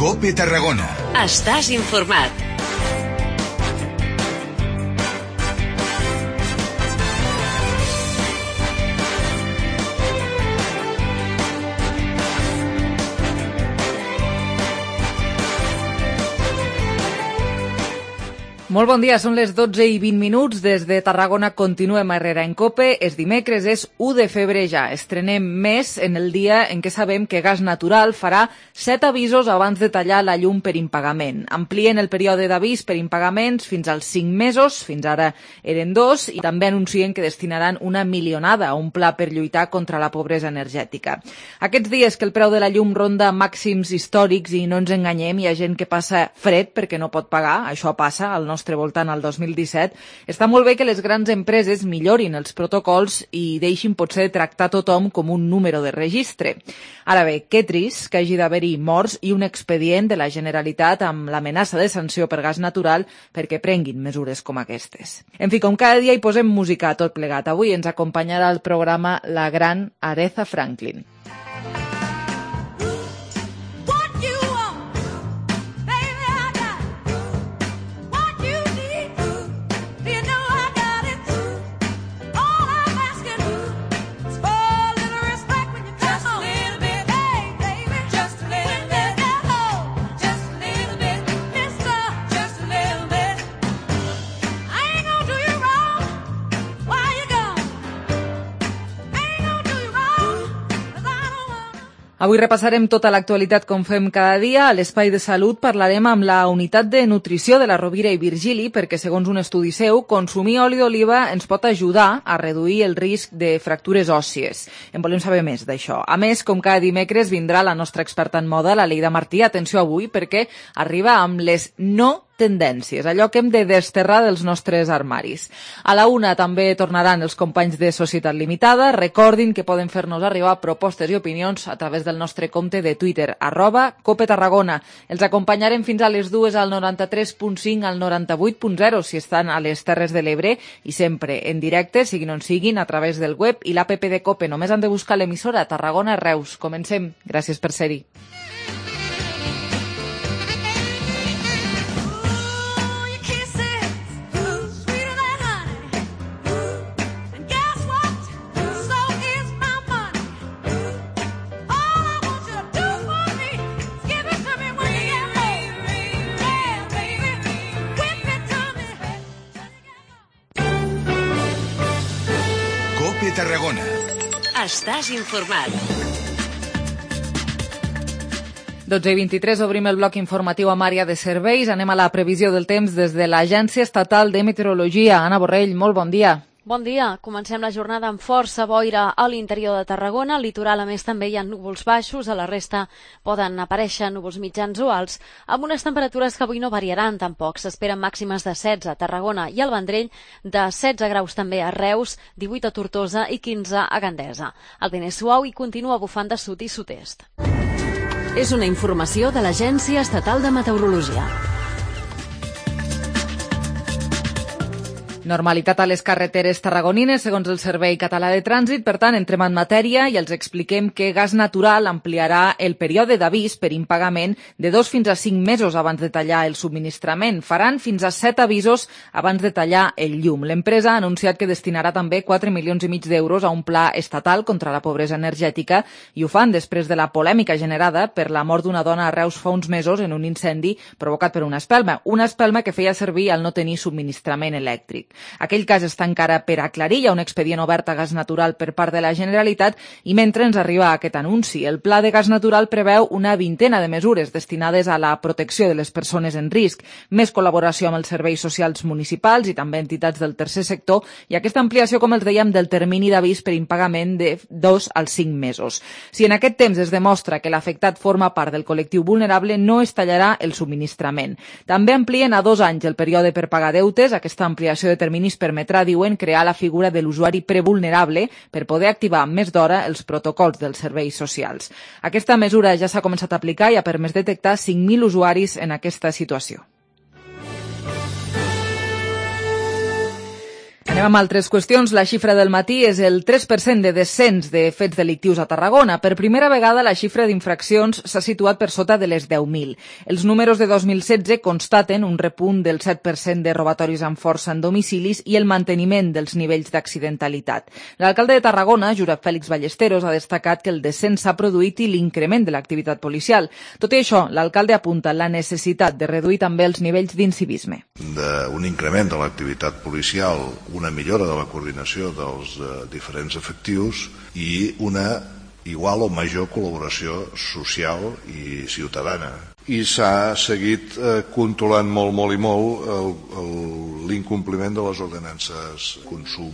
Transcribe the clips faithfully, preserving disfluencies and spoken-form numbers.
COPE Tarragona. Estàs informat. Molt bon dia, són les dotze i vint minuts. Des de Tarragona continuem a Herrera en COPE. És dimecres, és u de febrer ja. Estrenem mes en el dia en què sabem que Gas Natural farà set avisos abans de tallar la llum per impagament. Amplien el període d'avís per impagaments fins als cinc mesos, fins ara eren dos, i també anuncien que destinaran una milionada a un pla per lluitar contra la pobresa energètica. Aquests dies que el preu de la llum ronda màxims històrics i no ens enganyem, hi ha gent que passa fred perquè no pot pagar, això passa al nostre voltant al dos mil disset, està molt bé que les grans empreses millorin els protocols i deixin potser tractar tothom com un número de registre. Ara bé, que trist que hagi d'haver-hi morts i un expedient de la Generalitat amb l'amenaça de sanció per gas natural perquè prenguin mesures com aquestes. En fi, com cada dia hi posem música a tot plegat. Avui ens acompanyarà al programa la gran Aretha Franklin. Avui repassarem tota l'actualitat com fem cada dia. A l'Espai de Salut parlarem amb la unitat de nutrició de la Rovira i Virgili perquè, segons un estudi seu, consumir oli d'oliva ens pot ajudar a reduir el risc de fractures òssies. En volem saber més d'això. A més, com cada dimecres, vindrà la nostra experta en moda, la Leida Martí. Atenció avui, perquè arriba amb les no tendències, allò que hem de desterrar dels nostres armaris. A la una també tornaran els companys de Societat Limitada. Recordin que poden fer-nos arribar propostes i opinions a través del nostre compte de Twitter, arroba Cope Tarragona. Els acompanyarem fins a les dues al noranta-tres punt cinc al noranta-vuit punt zero si estan a les Terres de l'Ebre i sempre en directe, siguin on siguin, a través del web i l'app de Cope. Només han de buscar l'emissora Tarragona Reus. Comencem. Gràcies per ser-hi. Tarragona. Estàs informat. dotze i vint-i-tres, obrim el bloc informatiu amb àrea de serveis. Anem a la previsió del temps des de l'Agència Estatal de Meteorologia. Anna Borrell, molt bon dia. Bon dia. Comencem la jornada amb força boira a l'interior de Tarragona. Al litoral, a més, també hi ha núvols baixos. A la resta poden aparèixer núvols mitjans o alts, amb unes temperatures que avui no variaran tampoc. S'esperen màximes de setze a Tarragona i al Vendrell, de setze graus també a Reus, divuit a Tortosa i quinze a Gandesa. El vent és suau i continua bufant de sud i sud-est. És una informació de l'Agència Estatal de Meteorologia. Normalitat a les carreteres tarragonines, segons el Servei Català de Trànsit. Per tant, entrem en matèria i els expliquem que Gas Natural ampliarà el període d'avís per impagament de dos fins a cinc mesos abans de tallar el subministrament. Faran fins a set avisos abans de tallar el llum. L'empresa ha anunciat que destinarà també quatre milions i mig d'euros a un pla estatal contra la pobresa energètica i ho fan després de la polèmica generada per la mort d'una dona a Reus fa uns mesos en un incendi provocat per una espelma. Una espelma que feia servir al no tenir subministrament elèctric. Aquell cas està encara per aclarir, hi ha un expedient obert a Gas Natural per part de la Generalitat i mentre ens arriba aquest anunci, el Pla de Gas Natural preveu una vintena de mesures destinades a la protecció de les persones en risc, més col·laboració amb els serveis socials municipals i també entitats del tercer sector i aquesta ampliació, com els dèiem, del termini d'avís per impagament de dos als cinc mesos. Si en aquest temps es demostra que l'afectat forma part del col·lectiu vulnerable, no es tallarà el subministrament. També amplien a dos anys el període per pagar deutes. Aquesta ampliació de terminis permetrà, diuen, crear la figura de l'usuari prevulnerable per poder activar més d'hora els protocols dels serveis socials. Aquesta mesura ja s'ha començat a aplicar i ha permès detectar cinc mil usuaris en aquesta situació. Anem amb altres qüestions. La xifra del matí és el tres per cent de descens de fets delictius a Tarragona. Per primera vegada la xifra d'infraccions s'ha situat per sota de les deu mil. Els números de dos mil setze constaten un repunt del set per cent de robatoris amb força en domicilis i el manteniment dels nivells d'accidentalitat. L'alcalde de Tarragona, Josep Fèlix Ballesteros, ha destacat que el descens s'ha produït i l'increment de l'activitat policial. Tot i això, l'alcalde apunta la necessitat de reduir també els nivells d'incivisme. Un increment de l'activitat policial, una millora de la coordinació dels eh, diferents efectius i una igual o major col·laboració social i ciutadana. I s'ha seguit eh, controlant molt, molt i molt l'incompliment de les ordenances, consum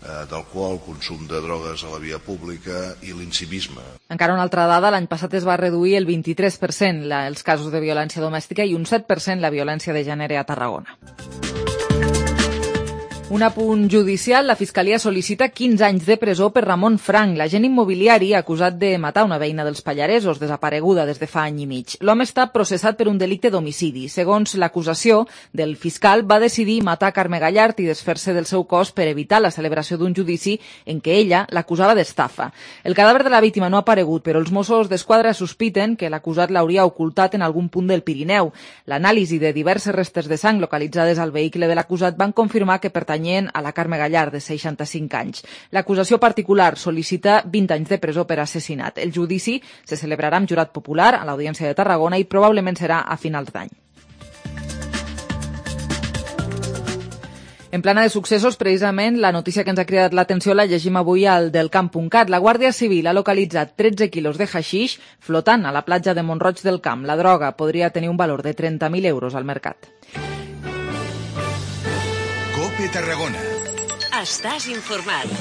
eh, d'alcohol, consum de drogues a la via pública i l'incivisme. Encara una altra dada, l'any passat es va reduir el vint-i-tres per cent la, els casos de violència domèstica i un set per cent la violència de gènere a Tarragona. Un apunt judicial, la Fiscalia sol·licita quinze anys de presó per Ramon Frank, l'agent immobiliari acusat de matar una veïna dels Pallaresos, desapareguda des de fa any i mig. L'home està processat per un delicte d'homicidi. Segons l'acusació del fiscal, va decidir matar Carme Gallart i desfer-se del seu cos per evitar la celebració d'un judici en què ella l'acusava d'estafa. El cadàver de la víctima no ha aparegut, però els Mossos d'Esquadra sospiten que l'acusat l'hauria ocultat en algun punt del Pirineu. L'anàlisi de diverses restes de sang localitzades al vehicle de l'acusat van confirmar que pertany a la Carme Gallart, de seixanta-cinc anys. L'acusació particular sol·licita vint anys de presó per assassinat. El judici se celebrarà amb jurat popular a l'Audiència de Tarragona i probablement serà a finals d'any. En plana de successos, precisament, la notícia que ens ha cridat l'atenció la llegim avui al delcamp punt cat. La Guàrdia Civil ha localitzat tretze quilos de haixix flotant a la platja de Mont-roig del Camp. La droga podria tenir un valor de trenta mil euros al mercat. COPE Tarragona. Estàs informat.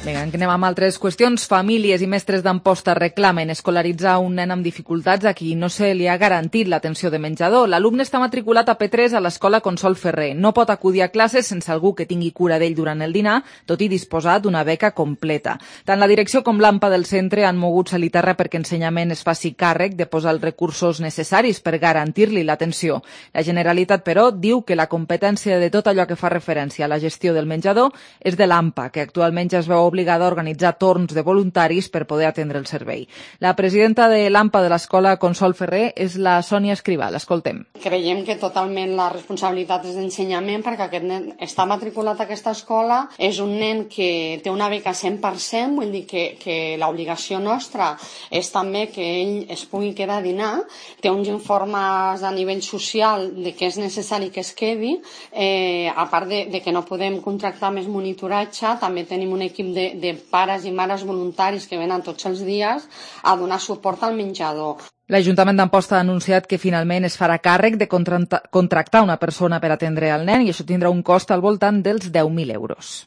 Vinga, anem amb altres qüestions. Famílies i mestres d'Amposta reclamen escolaritzar un nen amb dificultats a qui no se li ha garantit l'atenció de menjador. L'alumne està matriculat a P tres a l'escola Consol Ferrer. No pot acudir a classes sense algú que tingui cura d'ell durant el dinar, tot i disposar d'una beca completa. Tant la direcció com l'AMPA del centre han mogut salir terra perquè Ensenyament es faci càrrec de posar els recursos necessaris per garantir-li l'atenció. La Generalitat, però, diu que la competència de tot allò que fa referència a la gestió del menjador és de l'AMPA, que actualment ja es veu obligada a organitzar torns de voluntaris per poder atendre el servei. La presidenta de l'AMPA de l'escola Consol Ferrer és la Sònia Escrivà. L'escoltem. Creiem que totalment la responsabilitat és d'Ensenyament perquè aquest nen està matriculat a aquesta escola, és un nen que té una beca cent per cent, vull dir que, que l'obligació nostra és també que ell es pugui quedar a dinar, té uns informes a nivell social de que és necessari que es quedi, eh, a part de, de que no podem contractar més monitoratge, també tenim un equip de, de pares i mares voluntaris que venen tots els dies a donar suport al menjador. L'Ajuntament d'Amposta ha anunciat que finalment es farà càrrec de contractar una persona per atendre el nen i això tindrà un cost al voltant dels deu mil euros.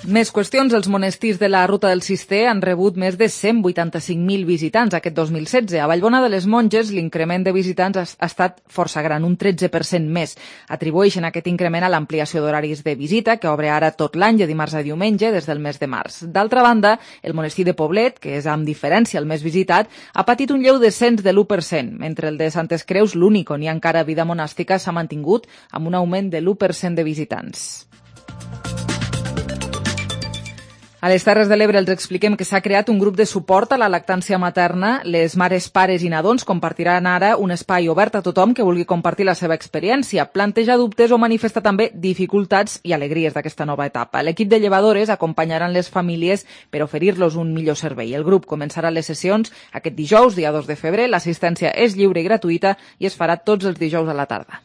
Més qüestions. Els monestirs de la Ruta del Cister han rebut més de cent vuitanta-cinc mil visitants aquest dos mil setze. A Vallbona de les Monges l'increment de visitants ha estat força gran, un tretze per cent més. Atribueixen aquest increment a l'ampliació d'horaris de visita, que obre ara tot l'any de dimarts a diumenge des del mes de març. D'altra banda, el monestir de Poblet, que és amb diferència el més visitat, ha patit un lleu descens de l'u per cent, mentre el de Santes Creus, l'únic on hi ha encara vida monàstica, s'ha mantingut amb un augment de l'u per cent de visitants. A les Terres de l'Ebre els expliquem que s'ha creat un grup de suport a la lactància materna. Les mares, pares i nadons compartiran ara un espai obert a tothom que vulgui compartir la seva experiència, plantejar dubtes o manifestar també dificultats i alegries d'aquesta nova etapa. L'equip de llevadores acompanyaran les famílies per oferir-los un millor servei. El grup començarà les sessions aquest dijous, dia dos de febrer. L'assistència és lliure i gratuïta i es farà tots els dijous a la tarda.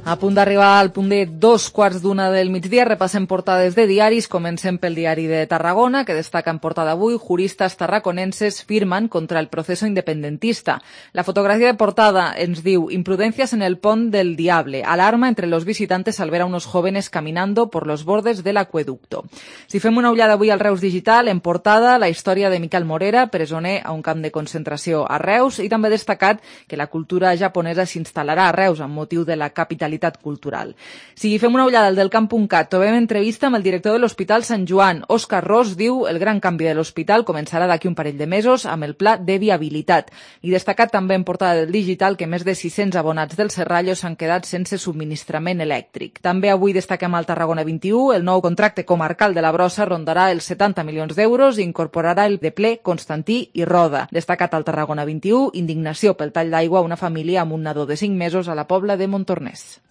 A punt d'arribar al punt de dos quarts d'una del migdia, repassem portades de diaris. Comencem pel diari de Tarragona, que destaca en portada avui: juristas tarraconenses firman contra el proceso independentista. La fotografía de portada ens diu: imprudencias en el pont del Diable. Alarma entre los visitantes al ver a unos jóvenes caminando por los bordes del acueducto. Si fem una ullada avui al Reus Digital, en portada la història de Miquel Morera, presoner a un camp de concentració a Reus, i també destacat que la cultura japonesa s'instal·larà a Reus amb motiu de la capitalitat realitat cultural. Si fem una ullada al delcamp punt cat, trobem entrevista amb el director de l'Hospital Sant Joan. Òscar Ros diu el gran canvi de l'hospital començarà d'aquí un parell de mesos amb el pla de viabilitat. I destacat també en portada del digital que més de sis-cents abonats del Serrallo s'han quedat sense subministrament elèctric. També avui destaquem al Tarragona vint-i-u, el nou contracte comarcal de la brossa rondarà els setanta milions d'euros i incorporarà el de ple Constantí i Roda. Destacat al Tarragona vint-i-u, indignació pel tall d'aigua a una família amb un nadó de cinc mesos a la Pobla de Montornès.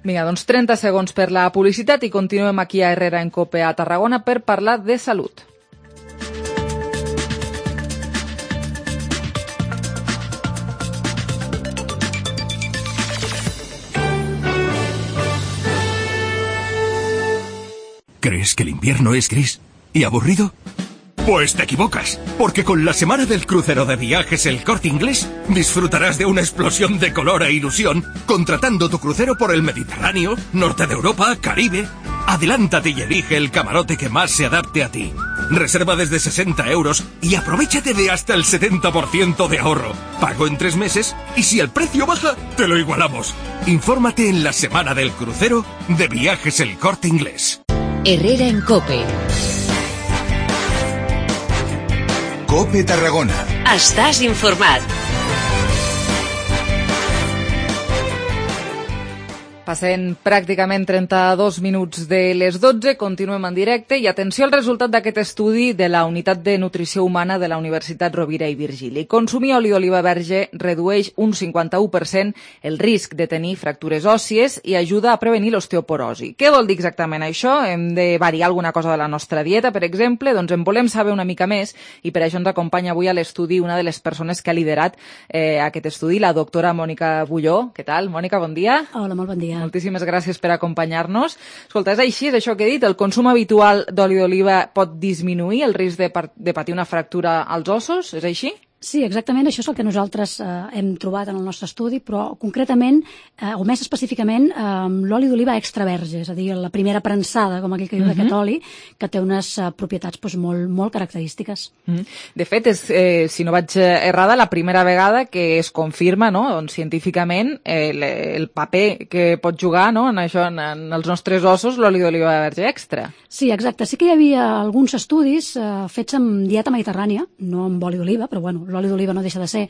Vinga, doncs trenta segons per la publicitat i continuem aquí a Herrera en Cope a Tarragona per parlar de salut. ¿Crees que el invierno es gris y aburrido? Pues te equivocas, porque con la semana del crucero de Viajes El Corte Inglés disfrutarás de una explosión de color e ilusión contratando tu crucero por el Mediterráneo, norte de Europa, Caribe. Adelántate y elige el camarote que más se adapte a ti. Reserva desde sesenta euros y aprovéchate de hasta el setenta por ciento de ahorro. Pago en tres meses y si el precio baja, te lo igualamos. Infórmate en la semana del crucero de Viajes El Corte Inglés. Herrera en Cope. Cope Tarragona. Estàs informat. Passen pràcticament trenta-dos minuts de les dotze, continuem en directe i atenció al resultat d'aquest estudi de la Unitat de Nutrició Humana de la Universitat Rovira i Virgili. Consumir oli d'oliva verge redueix un cinquanta-u per cent el risc de tenir fractures òssies i ajuda a prevenir l'osteoporosi. Què vol dir exactament això? Hem de variar alguna cosa de la nostra dieta, per exemple? Doncs en volem saber una mica més i per això ens acompanya avui a l'estudi una de les persones que ha liderat eh, aquest estudi, la doctora Mònica Bulló. Què tal, Mònica? Bon dia. Hola, molt bon dia. Moltíssimes gràcies per acompanyar-nos. Escolta, és així, és això que he dit? El consum habitual d'oli d'oliva pot disminuir el risc de, de patir una fractura als ossos? És així? Sí, exactament, això és el que nosaltres eh, hem trobat en el nostre estudi, però concretament, eh, o més específicament, eh, l'oli d'oliva extra verge, és a dir, la primera prensada, com aquell que diu uh-huh. d'aquest oli, que té unes eh, propietats doncs, molt, molt característiques. Uh-huh. De fet, és, eh, si no vaig errada, la primera vegada que es confirma no, doncs, científicament eh, el, el paper que pot jugar no, en, això, en, en els nostres ossos l'oli d'oliva verge extra. Sí, exacte. Sí que hi havia alguns estudis eh, fets amb dieta mediterrània, no amb oli d'oliva, però bueno, l'oli d'oliva no deixa de ser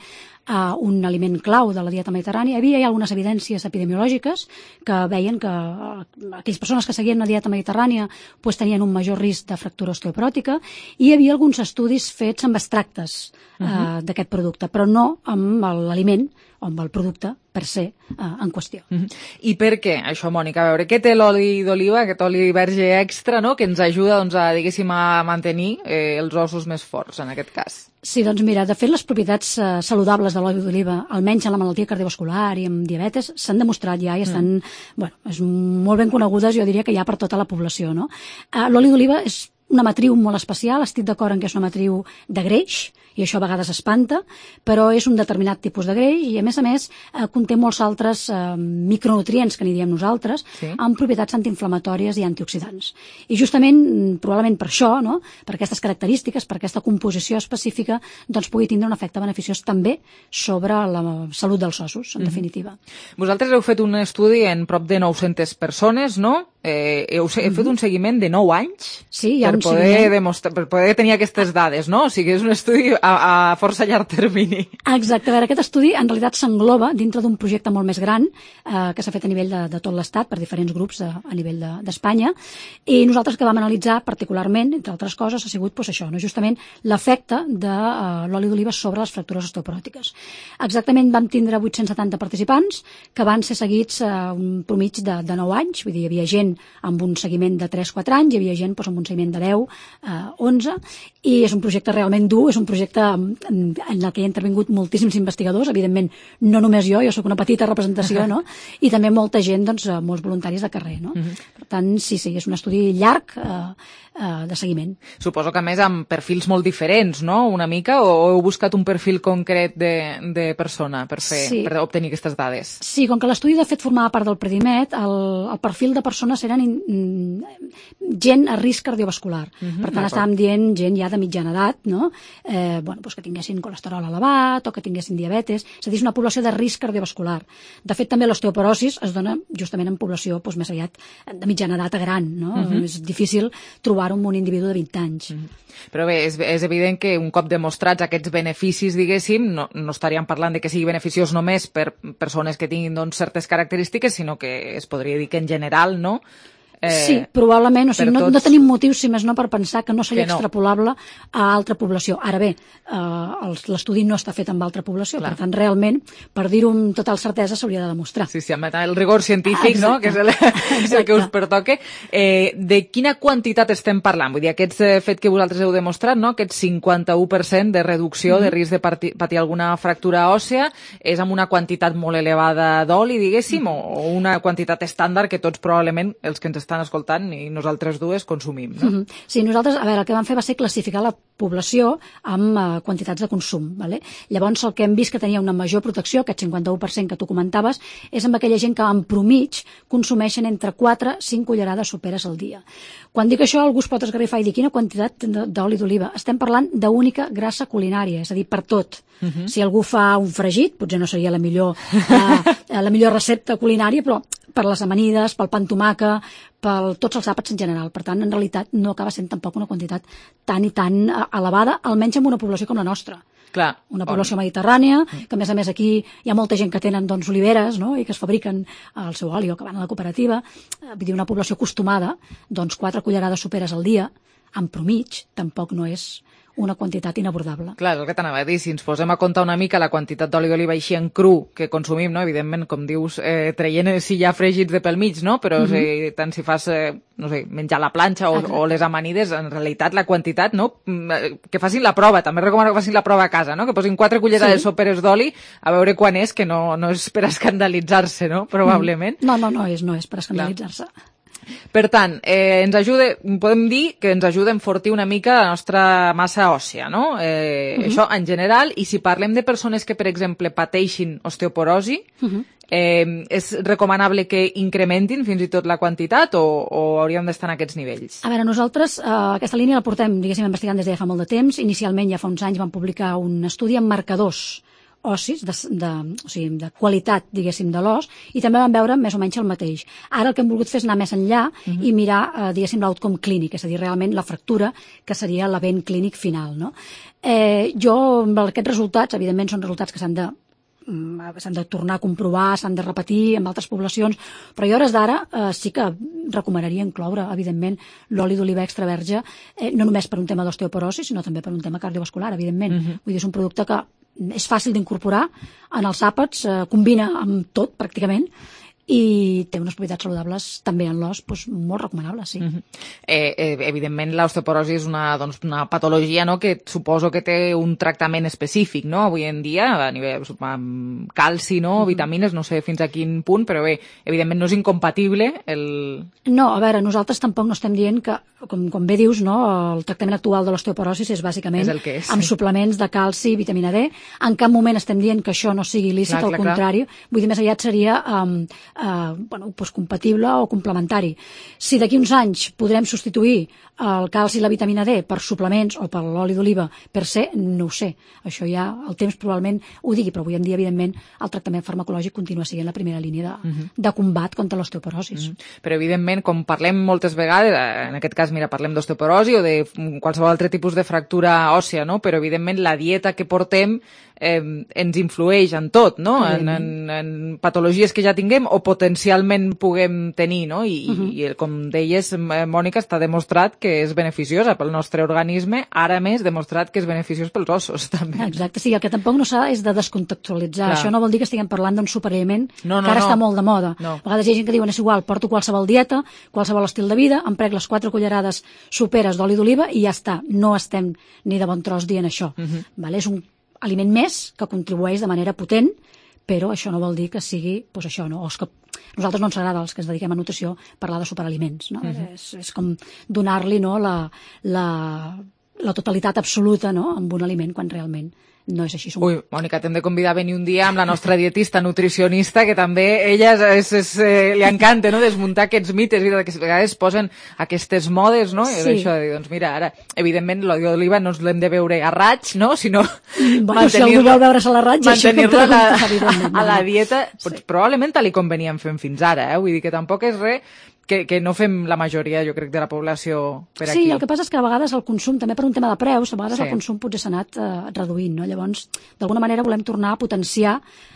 uh, un aliment clau de la dieta mediterrània. Hi havia ja algunes evidències epidemiològiques que veien que uh, aquelles persones que seguien una dieta mediterrània pues, tenien un major risc de fractura osteopròtica i hi havia alguns estudis fets amb extractes uh, uh-huh. d'aquest producte, però no amb l'aliment o amb el producte per ser uh, en qüestió. Uh-huh. I per què, això, Mònica? A veure, què té l'oli d'oliva, aquest oli verge extra, no?, que ens ajuda, doncs, a, diguéssim, a mantenir eh, els ossos més forts, en aquest cas? Sí, doncs mira, de fet, les propietats eh, saludables de l'oli d'oliva, almenys en la malaltia cardiovascular i en diabetes, s'han demostrat ja i estan, mm. bueno, és molt ben conegudes, jo diria que ja per tota la població, no? Uh, l'oli d'oliva és una matriu molt especial, estic d'acord en que és una matriu de greix, i això a vegades espanta, però és un determinat tipus de greix i, a més a més, eh, conté molts altres eh, micronutrients, que n'hi diem nosaltres, sí. amb propietats antiinflamatòries i antioxidants. I justament, probablement per això, no?, per aquestes característiques, per aquesta composició específica, doncs pugui tindre un efecte beneficiós també sobre la salut dels ossos, en mm-hmm. definitiva. Vosaltres heu fet un estudi en prop de nou-centes persones, no? Eh, heu, heu mm-hmm. fet un seguiment de nou anys sí, per, poder demostrar, per poder tenir aquestes dades, no? O sigui, és un estudi a, a força llarg termini. Exacte. A veure, aquest estudi en realitat s'engloba dintre d'un projecte molt més gran eh, que s'ha fet a nivell de, de tot l'Estat per diferents grups de, a nivell d'Espanya de, i nosaltres que vam analitzar particularment, entre altres coses, ha sigut pues, això, no? Justament l'efecte de uh, l'oli d'oliva sobre les fractures osteopròtiques. Exactament vam tindre vuit-cents setanta participants que van ser seguits uh, un promig de, de nou anys, vull dir, hi havia gent amb un seguiment de tres quatre anys, hi havia gent doncs, amb un seguiment de deu, onze, i és un projecte realment dur, és un projecte en, en el que hi ha intervingut moltíssims investigadors, evidentment no només jo, jo sóc una petita representació, no? I també molta gent, doncs, molts voluntaris de carrer, no? Uh-huh. Per tant, sí, sí, és un estudi llarg eh, eh, de seguiment. Suposo que a més amb perfils molt diferents, no?, una mica, o heu buscat un perfil concret de, de persona per, fer, sí. per obtenir aquestes dades? Sí, com que l'estudi de fet formava part del Predimet, el, el perfil de persona persones eren in, gent a risc cardiovascular. Uh-huh, per tant, estàvem dient gent ja de mitjana edat, no? eh, bueno, doncs que tinguessin colesterol elevat o que tinguessin diabetes, és a dir, és una població de risc cardiovascular. De fet, també l'osteoporosis es dona justament en població doncs, més aviat de mitjana edat a gran, no? Uh-huh. És difícil trobar-ho en un individu de vint anys. Uh-huh. Però bé, és, és evident que un cop demostrats aquests beneficis, diguéssim, no, no estaríem parlant de que sigui beneficiós només per persones que tinguin doncs, certes característiques, sinó que es podria dir que en general, no? Eh, sí, probablement, o sigui, no, tots... no tenim motius, si més no, per pensar que no seria que no. extrapolable a altra població. Ara bé, eh, l'estudi no està fet amb altra població, Clar. Per tant, realment, per dir-ho amb total certesa, s'hauria de demostrar. Sí, sí, amb el rigor científic, Exacte. No?, que és el, el que us pertoque. Eh, de quina quantitat estem parlant? Vull dir, aquest fet que vosaltres heu demostrat, no?, aquest cinquanta-u per cent de reducció mm-hmm. de risc de patir, patir alguna fractura òssea, és amb una quantitat molt elevada d'oli, diguéssim, mm-hmm. o una quantitat estàndard que tots probablement, els que ens estan escoltant i nosaltres dues consumim, no? Mm-hmm. Sí, nosaltres, a veure, el que vam fer va ser classificar la població amb uh, quantitats de consum, vale? Llavors el que hem vist que tenia una major protecció, aquest cinquanta-u per cent que tu comentaves, és amb aquella gent que en promig consumeixen entre quatre a cinc cullerades soperes al dia. Quan dic això, algú es pot esgarrifar i dir quina quantitat d'oli d'oliva. Estem parlant d'única grassa culinària, és a dir, per tot. Uh-huh. Si algú fa un fregit, potser no seria la millor, uh, la millor recepta culinària, però per les amanides, pel pa amb tomàquer, per tots els àpats en general. Per tant, en realitat, no acaba sent tampoc una quantitat tan i tan elevada, almenys en una població com la nostra. Clar, una població on... mediterrània, que a més a més aquí hi ha molta gent que tenen doncs, oliveres, no?, i que es fabriquen el seu oli o que van a la cooperativa. Vull dir, una població acostumada, doncs quatre cullerades soperes al dia, en promig, tampoc no és una quantitat inabordable. Clar, és el que t'anava a dir, si ens posem a comptar una mica la quantitat d'oli d'oliva així en cru que consumim, no? Evidentment, com dius, eh, traient si hi ha fregits de pel mig, no? Però uh-huh. si, tant si fas, eh, no sé, menjar la planxa o, o les amanides, en realitat la quantitat, no? Que facin la prova, també recomano que facin la prova a casa, no? Que posin quatre cullerades sí. soperes d'oli a veure quan és, que no, no és per escandalitzar-se, no? Probablement. No, no, no és, no és per escandalitzar-se. Clar. Per tant, eh, ens ajuda, podem dir que ens ajuda a enfortir una mica la nostra massa òssea, no? Eh, uh-huh. Això en general, i si parlem de persones que, per exemple, pateixin osteoporosi, uh-huh. eh, és recomanable que incrementin fins i tot la quantitat o, o hauríem d'estar en aquests nivells? A veure, nosaltres eh, aquesta línia la portem, diguéssim, investigant des de ja fa molt de temps. Inicialment, ja fa uns anys, vam publicar un estudi amb marcadors ossis, de, de, o sigui, de qualitat, diguéssim, de l'os, i també vam veure més o menys el mateix. Ara el que hem volgut fer és anar més enllà uh-huh. i mirar, eh, diguéssim, l'outcome clínic, és a dir, realment la fractura, que seria l'event clínic final, no? Eh, jo, amb aquests resultats, evidentment, són resultats que s'han de s'han de tornar a comprovar, s'han de repetir amb altres poblacions, però jo a hores d'ara eh, sí que recomanaria incloure, evidentment, l'oli d'oliva extra verge, eh, no només per un tema d'osteoporosi, sinó també per un tema cardiovascular, evidentment. Uh-huh. Vull dir, és un producte que és fàcil d'incorporar en els àpats, eh, combina amb tot, pràcticament, i té unes propietats saludables també en l'os, doncs, molt recomanables, sí. Uh-huh. eh, eh, evidentment, l'osteoporosi és una, doncs, una patologia, no?, que suposo que té un tractament específic, no?, avui en dia, a nivell amb calci, no?, uh-huh. vitamines, no sé fins a quin punt, però bé, evidentment no és incompatible el... No, a veure, nosaltres tampoc no estem dient que, com, com bé dius, no?, el tractament actual de l'osteoporosi és bàsicament és és. amb suplements de calci i vitamina D. En cap moment estem dient que això no sigui lícit, clar, al clar, contrari. Clar. Vull dir, més aviat seria... Um, Uh, bueno, doncs compatible o complementari. Si d'aquí uns anys podrem substituir el calci i la vitamina D per suplements o per l'oli d'oliva per ser, no ho sé. Això ja el temps probablement ho digui, però avui en dia, evidentment, el tractament farmacològic continua sent la primera línia de, uh-huh. de combat contra l'osteoporosis. Uh-huh. Però, evidentment, com parlem moltes vegades, en aquest cas, mira, parlem d'osteoporosi o de qualsevol altre tipus de fractura òssea, no? Però, evidentment, la dieta que portem eh, ens influeix en tot, no? En, en, en patologies que ja tinguem o potencialment puguem tenir, no? I, uh-huh. i com deies, Mònica, està demostrat que és beneficiosa pel nostre organisme, ara més demostrat que és beneficiós pels ossos, també. Exacte, sí, el que tampoc no s'ha és de descontextualitzar. Clar. Això no vol dir que estiguem parlant d'un superaliment no, no, que ara no. està molt de moda. No. A vegades hi ha gent que diuen, és igual, porto qualsevol dieta, qualsevol estil de vida, em prec les quatre cullerades soperes d'oli d'oliva i ja està. No estem ni de bon tros dient això. Uh-huh. Vale? És un aliment més que contribueix de manera potent, però això no vol dir que sigui doncs això, no? O és que a nosaltres no ens agrada, els que ens dediquem a nutrició, parlar de superaliments, no? Uh-huh. és, és com donar-li, no, la, la, la totalitat absoluta, no, amb un aliment quan realment no és així. Som... Ui, Mònica, t'hem de convidar a venir un dia amb la nostra dietista nutricionista, que també ella és, és, eh, li encanta, no?, desmuntar aquests mites i que a vegades posen aquestes modes, no? Sí. I això de dir, doncs mira, ara, evidentment, l'oli d'oliva no ens l'hem de veure a raig, no?, sinó bueno, si algú vol veure-se la raig, mantenir-la a, la, a la dieta, sí. Doncs, probablement tal com veníem fent fins ara, eh? Vull dir que tampoc és res que, que no fem la majoria, jo crec, de la població per aquí. Sí, el que passa és que a vegades el consum, també per un tema de preus, a vegades sí. el consum potser s'ha anat eh, reduint, no? Llavors, d'alguna manera volem tornar a potenciar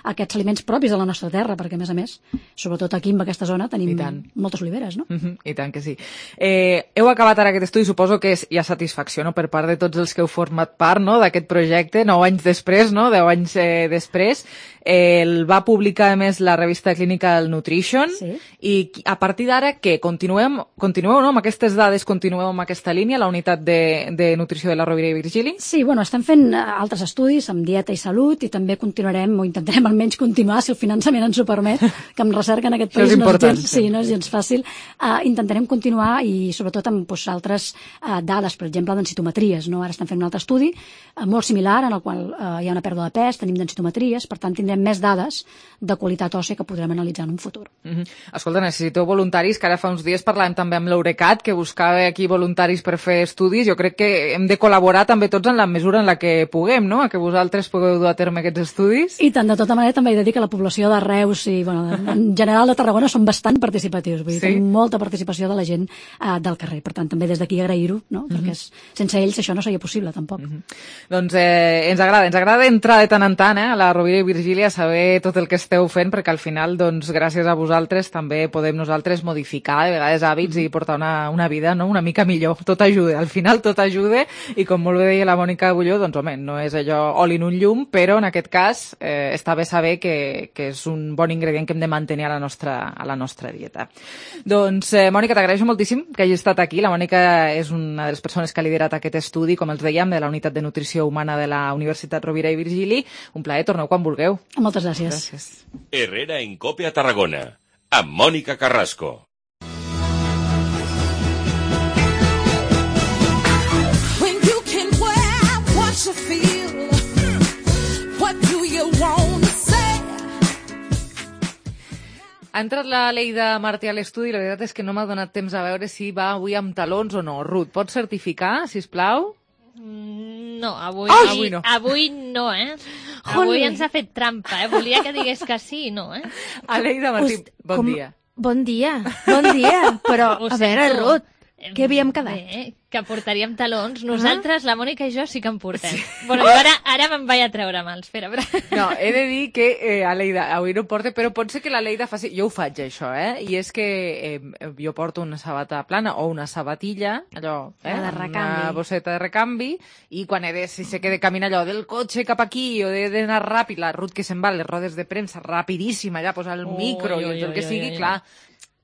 aquests aliments propis de la nostra terra, perquè, a més a més, sobretot aquí en aquesta zona, tenim moltes oliveres, no? Mm-hmm, I tant que sí. Eh, heu acabat ara aquest estudi, suposo que és, hi ha satisfacció, no?, per part de tots els que heu format part, no?, d'aquest projecte, nou anys després, no?, deu anys eh, després. Eh, el va publicar, a més, la revista Clinical Nutrition, sí. I a partir d'ara, què? Continuem, continueu, no?, amb aquestes dades, continueu amb aquesta línia, la unitat de, de nutrició de la Rovira i Virgili? Sí, bueno, estem fent altres estudis amb dieta i salut i també continuarem, o intentarem almenys continuar, si el finançament ens ho permet, que amb recerca en aquest país no és gens, sí, no és gens fàcil. Uh, intentarem continuar i sobretot amb pues, altres uh, dades, per exemple, densitometries, no? Ara estem fent un altre estudi uh, molt similar, en el qual uh, hi ha una pèrdua de pes, tenim densitometries, per tant tindrem més dades de qualitat òssia que podrem analitzar en un futur. Mm-hmm. Escolta, necessiteu voluntaris, que ara fa uns dies parlàvem també amb l'Eurecat, que buscava aquí voluntaris per fer estudis. Jo crec que hem de col·laborar també tots en la mesura en la que puguem, no?, a que vosaltres pugueu dur a terme aquests estudis. I tant, de tota manera també he de dir que la població de Reus i, bueno, en general de Tarragona són bastant participatius, vull dir, sí? Tenim molta participació de la gent uh, del carrer, per tant també des d'aquí agrair-ho, no?, mm-hmm. perquè és, sense ells això no seria possible tampoc. Mm-hmm. Doncs eh, ens agrada, ens agrada entrar de tant en tant eh, a la Rovira i Virgili a saber tot el que esteu fent, perquè al final, doncs, gràcies a vosaltres també podem nosaltres modificar de vegades hàbits mm-hmm. i portar una, una vida, no?, una mica millor. Tot ajuda, al final tot ajuda, i com molt bé deia la Mònica Agulló, doncs home, no és allò oli en un llum, però en aquest cas eh, està bé saber que, que és un bon ingredient que hem de mantenir a la nostra, a la nostra dieta. Doncs, eh, Mònica, t'agraeixo moltíssim que hagis estat aquí. La Mònica és una de les persones que ha liderat aquest estudi, com els dèiem, de la Unitat de Nutrició Humana de la Universitat Rovira i Virgili. Un plaer, torneu quan vulgueu. Moltes gràcies. Gràcies. Herrera en Cope a Tarragona, amb Mònica Carrasco. Ha entrat la Leida Martí a l'estudi i la veritat és que no m'ha donat temps a veure si va avui amb talons o no. Ruth, pots certificar, sisplau? No, avui, oh, avui, no. avui no, eh? Avui ens ha fet trampa, eh? Volia que digués que sí i no, eh? Leida Martí, Host, bon com... dia. Bon dia, bon dia, però Ho a veure, sento. Ruth, què havíem quedat? Bé, que portaríem talons. Nosaltres, la Mònica i jo, sí que en portem. Sí. Bueno, jo ara, ara me'n vaig a treure mals. Espera, espera. No, he de dir que eh, a Leida avui no porta, però pot ser que la Leida faci... Jo ho faig, això, eh? I és que eh, jo porto una sabata plana o una sabatilla, allò, eh? La de recanvi. Una bosseta de recanvi, i quan he de, si sé que he de caminar allò del cotxe cap aquí, o he d'anar ràpid, la Ruth que se'n va, les rodes de premsa, rapidíssima, allà, posar el Ui, micro ui, i el ui, que ui, sigui, ui. clar,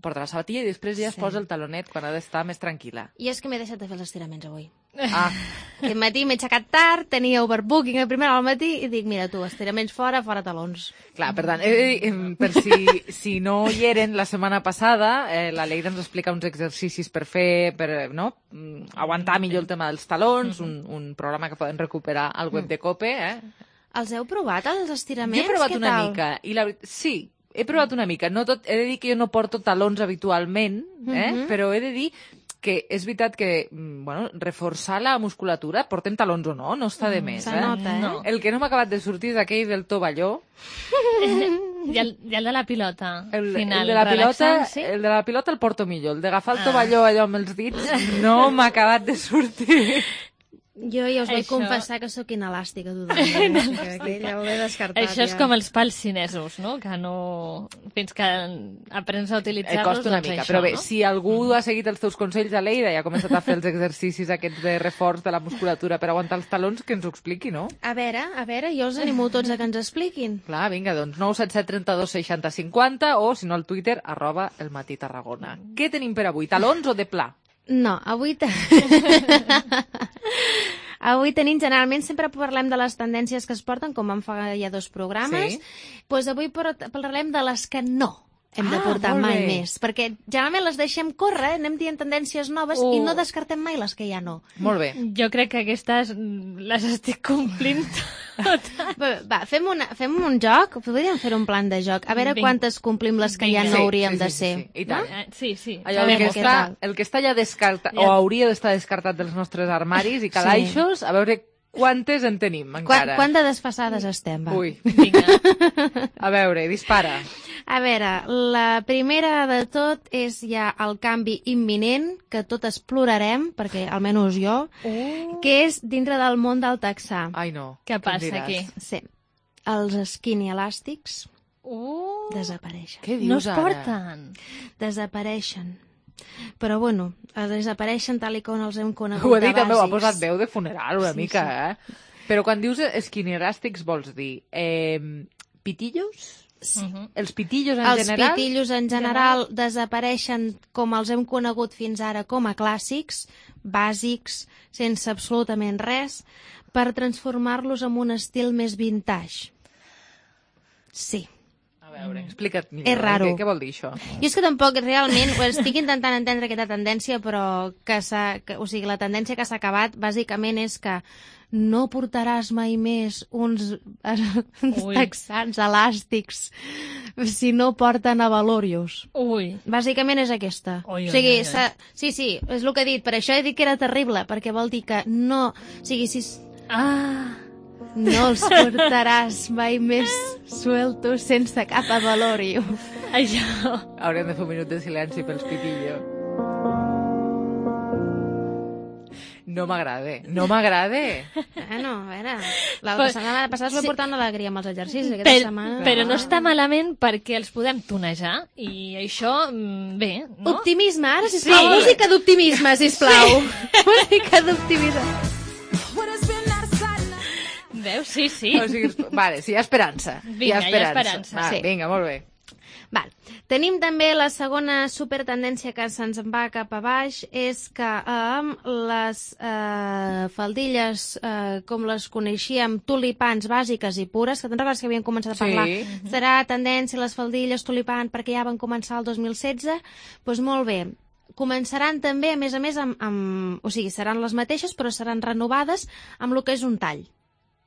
porta la sabatilla i després ja es Sí. posa el talonet quan ha d'estar més tranquil·la. I és que m'he deixat de fer els estiraments avui. Ah, Aquest matí m'he aixecat tard, tenia overbooking a primera hora al matí i dic, mira tu, estiraments fora, fora talons. clar, per tant, eh, eh, per si, si no hi eren la setmana passada, eh, la Leida ens explica uns exercicis per fer, per no? Mm, aguantar millor el tema dels talons, un, un programa que poden recuperar al web de Cope. Eh? Els heu provat, els estiraments? Jo he provat Què una tal? mica, i la veritat, sí, he provat una mica. No tot, he de dir que jo no porto talons habitualment, eh? Mhm. Però he de dir que és veritat que, mm, bueno, reforçar la musculatura, portem talons o no, no està de més, Se eh? nota, eh? No. El que no m'ha acabat de sortir és aquell del tovalló. I el, i el de la pilota, El, final, el, de la pilota, relaxant, sí? el de la pilota el porto millor. El d'agafar el Ah. tovalló allò amb els dits no m'ha acabat de sortir. Jo ja us vaig Això- confessar que sóc inelàstica totalment. o sigui que aquell ja ho he descartat. Això és ja. com els pals xinesos, no? Que no... Fins que aprens a Eh, utilitzar-los, costa una doncs mica, això, però bé, no? si algú ha seguit els teus consells a Leida i ha començat a fer els exercicis aquests de reforç de la musculatura per aguantar els talons, que ens ho expliqui, no? A veure, a veure, jo els animo tots a que ens expliquin. Clar, vinga, doncs nou set set trenta dos seixanta cinquanta o, si no, al Twitter, arroba el matí Tarragona. Què tenim per avui, talons o de pla? No, avui... Te... Avui tenim, generalment, sempre parlem de les tendències que es porten, com vam fer ja dos programes. Sí. Doncs avui por- parlarem de les que no hem de Ah, portar molt mai bé. més. Perquè generalment les deixem córrer, anem dient tendències noves Uh. i no descartem mai les que ja no. Molt bé. Jo crec que aquestes mm, les estic complint Va, va fem, una, fem un joc, podríem fer un plan de joc, a veure quantes complim les que ja no hauríem de ser. Sí, sí, sí. I tant. No? Sí, sí. Allò, el, que està, el que està ja descartat, o hauria d'estar descartat dels nostres armaris i calaixos, sí. A veure quantes en tenim encara. Quan, quant de desfasades estem, va? Ui. Vinga. A veure, dispara. A veure, la primera de tot és ja el canvi imminent, que totes plorarem, perquè almenys jo, uh. que és dintre del món del texà. Ai, no. Què passa aquí? Sí. Els skinny elàstics uh. desapareixen. Què dius no es ara? porten? Desapareixen. Però, bueno, desapareixen tal i com els hem conegut ho ha dit, de bàsics. També ho ha posat veu de funeral una sí, mica, sí. eh? Però quan dius skinny elàstics vols dir eh, pitillos? Sí. Uh -huh. Els pitillos en els general? Els pitillos en general desapareixen com els hem conegut fins ara com a clàssics, bàsics, sense absolutament res, per transformar-los en un estil més vintage. Sí. A veure, explica't millor. És raro. Què, què vol dir això? Jo és que tampoc realment ho estic intentant entendre aquesta tendència, però que s'ha, que, o sigui, la tendència que s'ha acabat bàsicament és que no portaràs mai més uns, uns texans elàstics si no porten a Valorius. Ui. Bàsicament és aquesta. Ui, o sigui, ui, ui, ui. sí, sí, és el que he dit. Per això he dit que era terrible, perquè vol dir que no... O sigui, si... Ah... No els portaràs mai més sueltos sense cap avalorio. Això. Haurem de fer un minut de silenci pels pitillos. No m'agrada, no m'agrada. Bueno, a veure, la Però, setmana passada us vaig sí. portar una alegria amb els exercicis. Aquesta per, setmana... Però no està malament perquè els podem tonejar i això, bé, no? Optimisme, ara, sisplau. Sí. Música d'optimisme, sisplau. Sí. Música d'optimisme. Veus? Sí, sí. O sigui, vale, sí, hi ha esperança. Vinga, hi ha esperança. Hi ha esperança. Va, sí. Vinga, molt bé. Val. Tenim també la segona supertendència que se'ns va cap a baix, és que amb eh, les eh, faldilles, eh, com les coneixíem, tulipans bàsiques i pures, que te'n recordes que havíem començat a parlar, sí. Serà tendència les faldilles tulipan perquè ja van començar el dos mil setze, doncs molt bé. Començaran també, a més a més, amb, amb, o sigui, seran les mateixes, però seran renovades amb el que és un tall.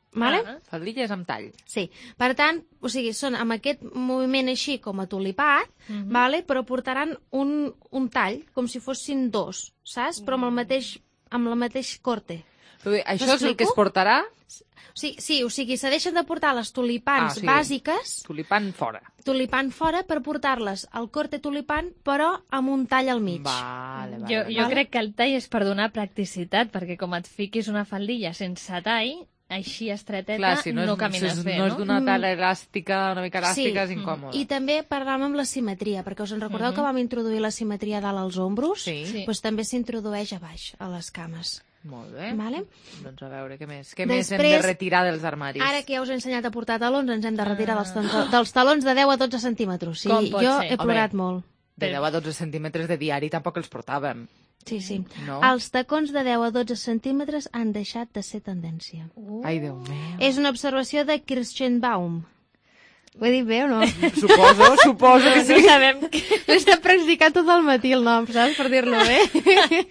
Vale? Ah, faldilles amb tall. Sí. Per tant, o sigui, són amb aquest moviment així com a tulipat, uh-huh. Vale? Però portaran un, un tall, com si fossin dos, saps? Però amb el mateix, amb el mateix corte. Dir, això és el que es portarà? Sí, sí, o sigui, se deixen de portar les tulipans ah, sí. bàsiques... Tulipan fora. Tulipan fora per portar-les al corte tulipan, però amb un tall al mig. Vale, vale, jo, vale. jo crec que el tall és per donar practicitat, perquè com et fiquis una faldilla sense tall... així estreteta, clar, si no, és, no camines si és, bé, no? no? és d'una tala elàstica, una mica elàstica, sí. és incòmode. I també parlàvem amb la simetria, perquè us en recordeu uh-huh. que vam introduir la simetria dalt als ombros? Sí. sí. Doncs també s'introdueix a baix, a les cames. Molt bé. Vale? Doncs a veure, què més? Què Després, més hem de retirar dels armaris? Ara que ja us he ensenyat a portar talons, ens hem de retirar dels, dels talons de deu a dotze centímetres. Sí, Com pot jo ser? he plorat Home, molt. De deu a dotze centímetres de diari tampoc els portàvem. Sí, sí. No? Els tacons de deu a dotze centímetres han deixat de ser tendència. Uh. Ai, Déu meu. És una observació de Kirschenbaum. Ho he dit bé o no? Suposo, suposo que sí. No sabem. L'he estat practicant tot el matí el nom, saps? Per dir-lo bé.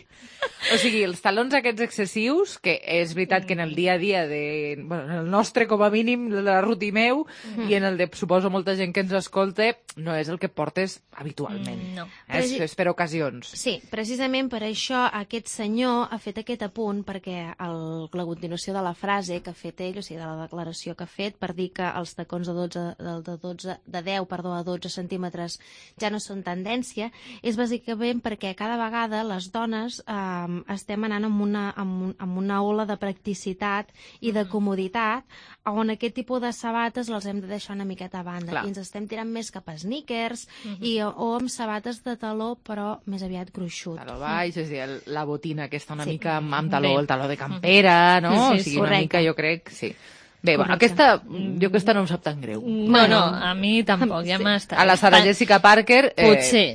O sigui, els talons aquests excessius, que és veritat que en el dia a dia de... Bueno, en el nostre, com a mínim, la Ruti meu, mm. i en el de, suposo, molta gent que ens escolta, no és el que portes habitualment. Mm, no. Eh? És, és per ocasions. Sí, precisament per això aquest senyor ha fet aquest apunt, perquè el, la continuació de la frase que ha fet ell, o sigui, de la declaració que ha fet, per dir que els tacons de, dotze, de, dotze, de deu perdó, a dotze centímetres ja no són tendència, és bàsicament perquè cada vegada les dones eh, estem anant amb una, amb, un, amb una ola de practicitat i de comoditat on aquest tipus de sabates les hem de deixar una miqueta a banda. Clar. I ens estem tirant més cap a sneakers uh-huh. i, o amb sabates de taló però més aviat gruixut. Taló baix, és a dir, la botina aquesta una sí. mica amb, amb taló, el taló de campera, no? Sí, sí, o sigui, correcte. una mica jo crec, sí. Bé, bueno, aquesta, jo aquesta no em sap tan greu. No, no, a mi tampoc, ja sí. m'està. A la Sarah Jessica Parker, eh, potser.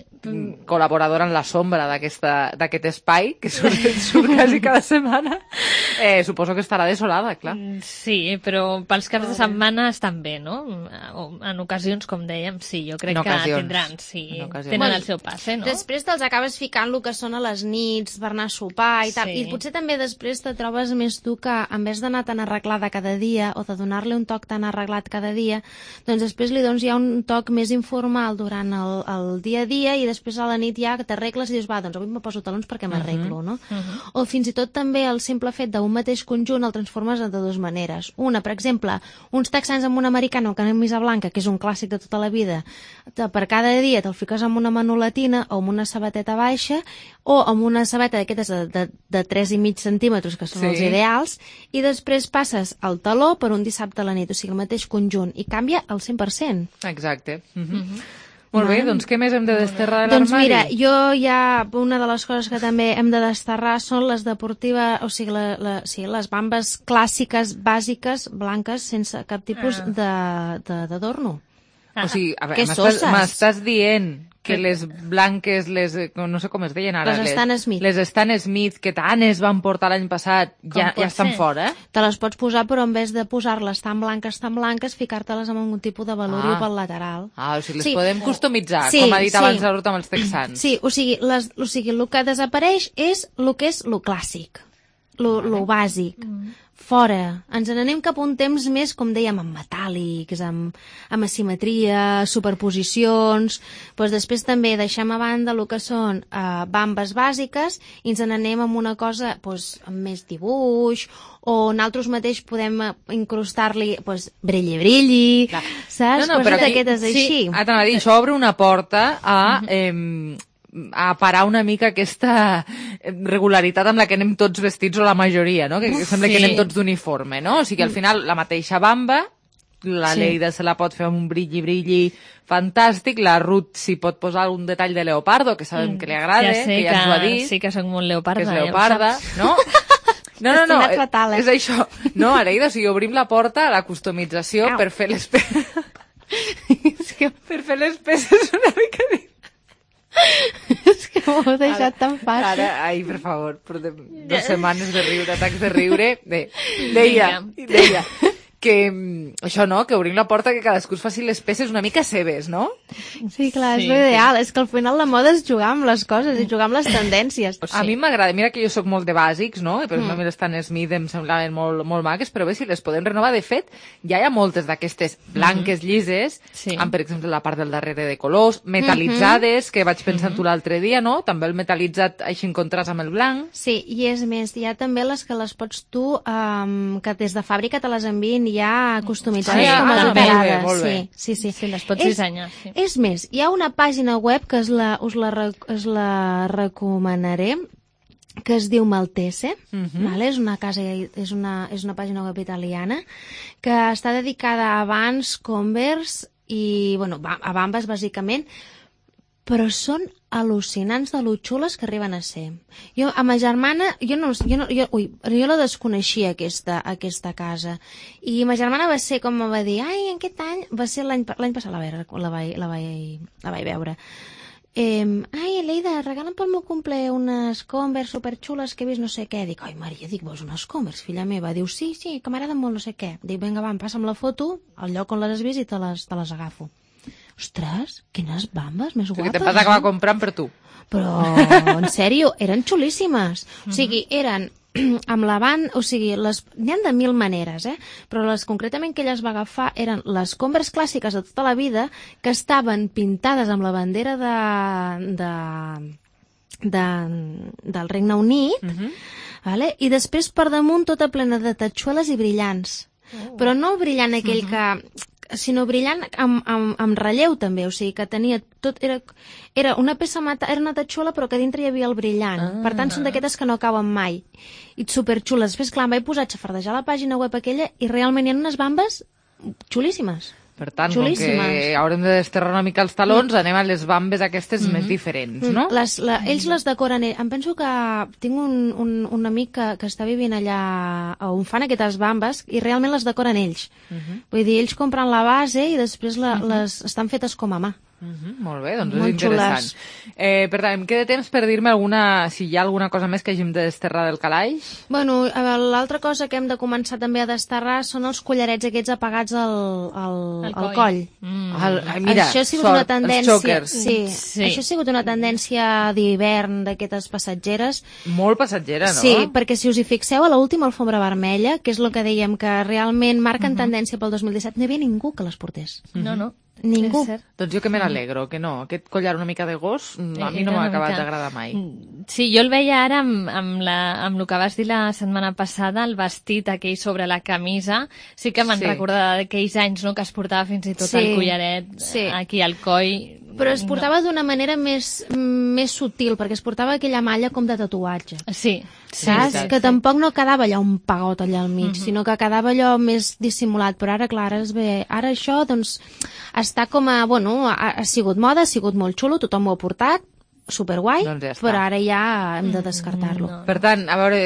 col·laboradora en la sombra d'aquest espai, que surt, surt quasi cada setmana, eh, suposo que estarà desolada, clar. Sí, però pels caps de setmana estan bé, no? En ocasions, com dèiem, sí, jo crec que tindran, sí, tenen bueno, el seu passe, no? Després te'ls acabes ficant el que són a les nits, per anar a sopar i tal, sí. I potser també després te trobes més tu que, en vez d'anar tan arreglada cada dia, o de donar-li un toc tan arreglat cada dia, doncs després li dones ja un toc més informal durant el, el dia a dia i després a la nit ja t'arregles i dius, va, doncs avui me poso talons perquè m'arreglo, no? Uh-huh. O fins i tot també el simple fet d'un mateix conjunt el transformes de dues maneres. Una, per exemple, uns texans amb un americano que camisa blanca, que és un clàssic de tota la vida, per cada dia te'l fiques amb una manolatina o amb una sabateta baixa o amb una sabata d'aquestes de, de, de tres i mig centímetres, que són sí. els ideals, i després passes el taló per un dissabte a la nit, o sigui, el mateix conjunt, i canvia al cent per cent. Exacte. Uh-huh. Uh-huh. Molt bé, doncs què més hem de desterrar de l'armari? Doncs mira, jo ja, una de les coses que també hem de desterrar són les deportives, o sigui, la, la, sí, les bambes clàssiques, bàsiques, blanques, sense cap tipus ah. d'adorno. Ah. O sigui, a veure, m'estàs, m'estàs dient que les blanques, les, no sé com es deien ara, les Stan Smith, les Stan Smith que tant es van portar l'any passat, ja, ja estan ser? fora, eh? Te les pots posar, però en vez de posar-les tan blanques, tan blanques, ficar-te-les amb algun tipus de velorio ah. pel lateral. Ah, o sigui, les sí. podem customitzar, sí, com ha dit sí. abans la Ruth amb els texans. Sí, o sigui, les, o sigui, el que desapareix és el que és el clàssic, el bàsic. Mm. Fora. Ens n'anem cap a un temps més, com dèiem, amb metàl·lics, amb, amb asimetria, superposicions. Pues després també deixem a banda el que són uh, bambes bàsiques i ens n'anem amb una cosa pues, amb més dibuix, o nosaltres mateix podem incrustar-li pues, brilli-brilli, saps? No, no, coses d'aquestes així. Sí, ah, t'anava a dir, això obre una porta a... Eh, a parar una mica aquesta regularitat amb la que anem tots vestits, o la majoria, no? Que, que sembla sí. que anem tots d'uniforme, no? O sigui, al final, la mateixa bamba, la sí. Leida se la pot fer amb un brilli-brilli fantàstic, la Ruth s'hi pot posar un detall de leopardo, que sabem mm. que li agrada, ja que ja ens ho ha dit. Sí que soc molt leoparda. Que és leoparda, ja no? No, no, no, fatal, eh? És això. No, Areida, o sigui, obrim la porta a la customització Au. per fer les peces... és que per fer les peces una mica... És que m'ho heu deixat tan fàcil. Ara, ai, per favor, portem dues setmanes de riure, atacs de riure. Bé, deia, deia que això, no?, que obrim la porta, que cadascú es faci les peces una mica seves, no? Sí, clar, és sí, l'ideal. Sí. És que al final la moda és jugar amb les coses i jugar amb les tendències. A sí. mi m'agrada, mira que jo sóc molt de bàsics, no? Per exemple, mm. les Stan Smith em semblaven molt, molt maques, però bé, si les podem renovar, de fet, ja hi ha moltes d'aquestes blanques, llises, sí. amb, per exemple, la part del darrere de colors, metal·litzades, mm-hmm. que vaig pensar mm-hmm. tu l'altre dia, no? També el metal·litzat així en contrast amb el blanc. Sí, i és més, hi ha també les que les pots tu, um, que des de fàbrica te les envien ja customitzades sí, com a decorades. Molt bé, sí, sí, sí. Sí, les pots és, dissenyar. Sí. És més, hi ha una pàgina web que us la, us la, us la recomanaré, que es diu Maltese, uh-huh. vale? és una casa, és una, és una pàgina web italiana que està dedicada a Vans, Converse i, bueno, a bambes bàsicament, però són al·lucinants de lo xules que arriben a ser. Jo, a ma germana, jo no, jo no, jo, ui, jo la desconeixia, aquesta, aquesta casa, i ma germana va ser com va dir, ai, en aquest any, va ser l'any l'any passat, la, la, vaig, la, vaig, la vaig veure. Eh, ai, Leida, regala'm pel meu cumple unes Converse superxules que he vist no sé què. Dic, ai, Maria, dic, vols unes Converse, filla meva? Diu, sí, sí, que m'agraden molt no sé què. Dic, vinga, va, em passa'm la foto, al lloc on les has vist i te les, te les agafo. Ostres, quines bambes més guapes. Que te'n vas acabar eh? comprant per tu. Però, en sèrio, eren xulíssimes. Mm-hmm. O sigui, eren amb la banda, o sigui, les n'hi ha de mil maneres, eh? Però les concretament que ella es va agafar eren les Converse clàssiques de tota la vida que estaven pintades amb la bandera de, de, de, del Regne Unit, mm-hmm. vale? I després per damunt tota plena de tatxueles i brillants. Oh. Però no el brillant aquell mm-hmm. que... sinó brillant amb, amb, amb relleu també, o sigui que tenia tot, era, era una peça mata, era una tatxola però que dintre hi havia el brillant, ah, per tant són d'aquestes que no cauen mai i superxules. Després clar, em vaig posar a xafardejar la pàgina web aquella i realment hi ha unes bambes xulíssimes. Per tant, com que haurem de desterrar una mica els talons, mm. anem a les bambes aquestes mm-hmm. més diferents, no? Les, la, ells les decoren... Em penso que tinc un, un, un amic que, que està vivint allà on fan aquestes bambes i realment les decoren ells. Mm-hmm. Vull dir, ells compren la base i després la, mm-hmm. les estan fetes com a mà. Mm-hmm, molt bé, doncs és interessant. Eh, per tant, em queda temps per dir-me alguna, si hi ha alguna cosa més que hàgim de desterrar del calaix? Bueno, l'altra cosa que hem de començar també a desterrar són els collarets aquests apagats al, al, al coll. coll. Mm. El, mira, això ha sigut sort, una tendència, els xòquers. Sí, sí, això ha sigut una tendència d'hivern d'aquestes passatgeres. Molt passatgera, no? Sí, perquè si us hi fixeu a l'última alfombra vermella, que és el que dèiem que realment marquen uh-huh. tendència pel dos mil disset, no hi havia ningú que les portés. Uh-huh. No, no. Ningú. Doncs jo que me n'alegro, que no. Aquest collar una mica de gos a mi no m'ha acabat d'agradar mai. Sí, jo el veia ara amb, amb, la, amb el que vas dir la setmana passada, el vestit aquell sobre la camisa, sí que me'n sí. recordava d'aquells anys, no?, que es portava fins i tot sí. el collaret sí. aquí al coll. Però es portava no. d'una manera més, més sutil, perquè es portava aquella malla com de tatuatge. Sí. Saps? Sí, que sí. tampoc no quedava allò un pagot allà al mig, uh-huh. sinó que quedava allò més dissimulat. Però ara, clar, es ve... ara això, doncs, està com a... Bueno, ha, ha sigut moda, ha sigut molt xulo, tothom ho ha portat, superguai, doncs ja però ara ja hem de descartar-lo. No. Per tant, a veure,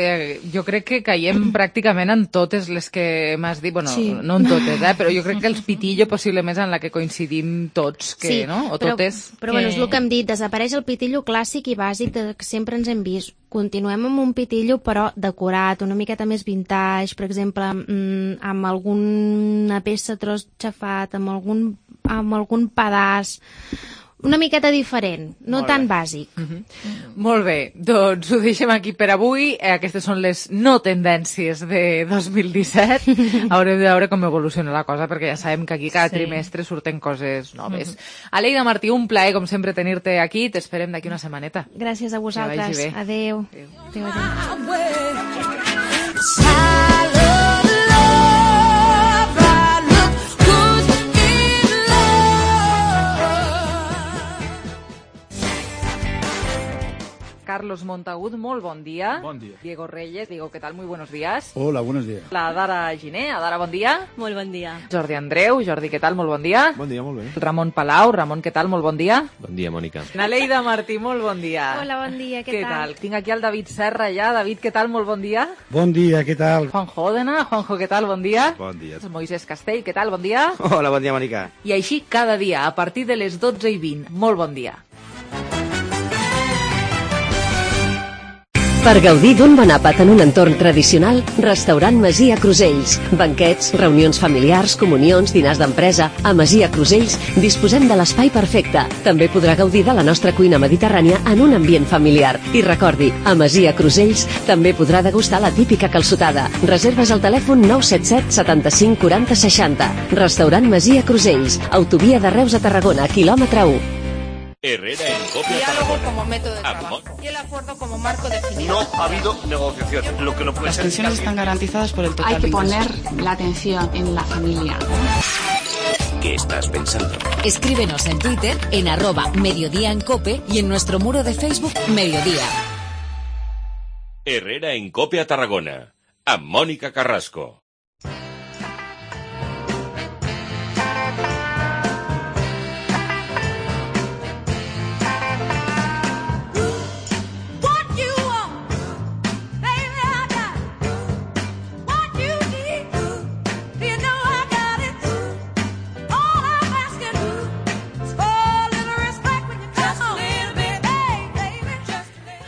jo crec que caiem pràcticament en totes les que m'has dit, bueno, sí. no en totes, eh, però jo crec que els pitillo possiblement en la que coincidim tots, que, sí, no? O però, totes. Però que... bueno, és el que hem dit, desapareix el pitillo clàssic i bàsic de, que sempre ens hem vist. Continuem amb un pitillo però decorat, una miqueta més vintage, per exemple, mmm, amb alguna peça tros xafat, amb algun, amb algun pedaç, una miqueta diferent, no Molt tan bé. bàsic. Uh-huh. Uh-huh. Molt bé, doncs ho deixem aquí per avui. Eh, aquestes són les no tendències de dos mil disset. Haurem de veure com evoluciona la cosa, perquè ja sabem que aquí cada sí. trimestre surten coses noves. Uh-huh. Aleida Martí, un plaer, com sempre, tenir-te aquí. T'esperem d'aquí una setmaneta. Gràcies a vosaltres. Adéu. Adéu. Adéu, adéu. Carlos Montagut, molt bon dia. Bon dia. Diego Reyes, Diego, ¿qué tal? Muy buenos días. Hola, buenos días. La Dara Giné, Adara, bon dia. Molt bon dia. Jordi Andreu, Jordi, què tal? Molt bon dia. Bon dia, molt bé. Ramon Palau, Ramon, què tal? Molt bon dia. Bon dia, Mònica. Naleida Martí, molt bon dia. Hola, bon dia, què, què tal? tal? Tinc aquí el David Serra ja. David, què tal? Molt bon dia. Bon dia, què tal? Juanjo Òdena, Juanjo, què tal? Bon dia. Bon dia. Moisés Castell, què tal? Bon dia. Hola, bon dia, Mònica. I així cada dia, a partir de les dotze i vint. Molt bon dia. Per gaudir d'un bon àpat en un entorn tradicional, Restaurant Masia Crusells. Banquets, reunions familiars, comunions, dinars d'empresa. A Masia Crusells disposem de l'espai perfecte. També podrà gaudir de la nostra cuina mediterrània en un ambient familiar. I recordi, a Masia Crusells també podrà degustar la típica calçotada. Reserves al telèfon nou set set setanta-cinc quaranta seixanta. Restaurant Masia Crusells. Autovia de Reus a Tarragona, quilòmetre u. Herrera en Copia Diálogo Tarragona. como método de trabajo y el acuerdo como marco definitivo. No ha habido negociación. Lo que no puede Las ser pensiones están garantizadas por el total. Hay que poner la atención en la familia. ¿Qué estás pensando? Escríbenos en Twitter en arroba Mediodía en Cope y en nuestro muro de Facebook Mediodía. Herrera en Copia Tarragona. A Mónica Carrasco.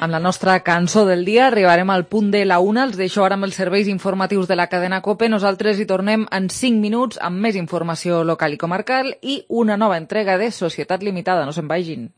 Amb la nostra cançó del dia arribarem al punt de la una. Els deixo ara amb els serveis informatius de la cadena COPE. Nosaltres hi tornem en cinc minuts amb més informació local i comarcal i una nova entrega de Societat Limitada. No se'n vagin.